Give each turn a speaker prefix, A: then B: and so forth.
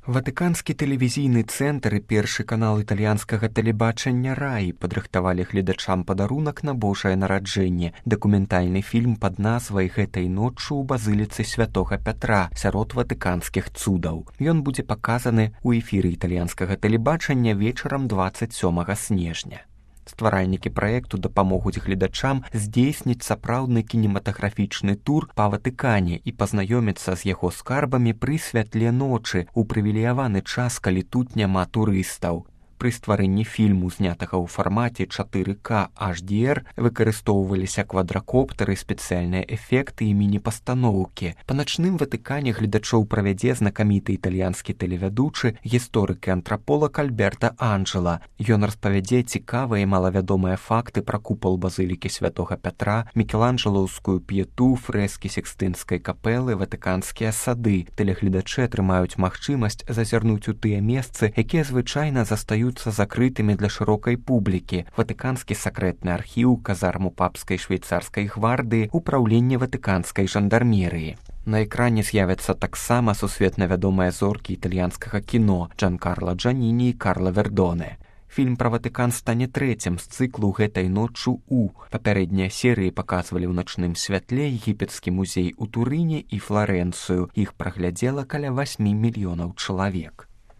A: Ватыканскі тэлевізійны цэнтр і першы канал італьянскага тэлебачання «Раі» падрыхтавалі гледачам падарунак на Божае нараджэнне, дакументальны фільм пад назвай «Гэтай ноччу ў базыліцы святога Пятра» сярод ватыканскіх цудаў. Ён будзе паказаны ў эфіры італьянскага тэлебачання вечарам 27 снежня. Стваральнікі праекту дапамогуць гледачам здзейсніць сапраўдны кінематаграфічны тур па Ватыкане і пазнаёміцца з яго скарбамі пры святле ночы ў прывілеяваны час, калі тут няма турыстаў. Пры стварэнні фільму, знятага ў фармаце 4К HDR, выкарыстоўваліся квадракоптары, спецыяльныя эфекты і міні-пастаноўкі. Па начным Ватыкане гледачоў правядзе знакаміты італьянскі тэлевядучы, гісторык і антраполаг Альберта Анджела. Ён распавядзе цікавыя і малавядомыя факты пра купал базылікі святога Пятра, мікеланджелаўскую п'ету, фрэскі Сікстынскай капэлы, ватыканскія сады. Тэлегледачы атрымаюць магчымасць зазірнуць у тыя месцы, якія звычайна застаюцца закрытымі для шырокай публікі: ватыканскі сакрэтны архіў, казарму папскай швейцарскай гвардыі, упраўленне ватыканскай жандармерыі. На экране з'явяцца таксама сусветна вядомыя зоркі італьянскага кіно Джанкарла Джаніні і Карла Вердоне. Фільм пра Ватыкан стане трэцім з цыклу «Гэтай ноччу у». Папярэднія серыі паказвалі ў начным святле егіпецкі музей у Турыне і Фларэнцыю. Іх праглядзела каля 8 мільёнаў чалавек.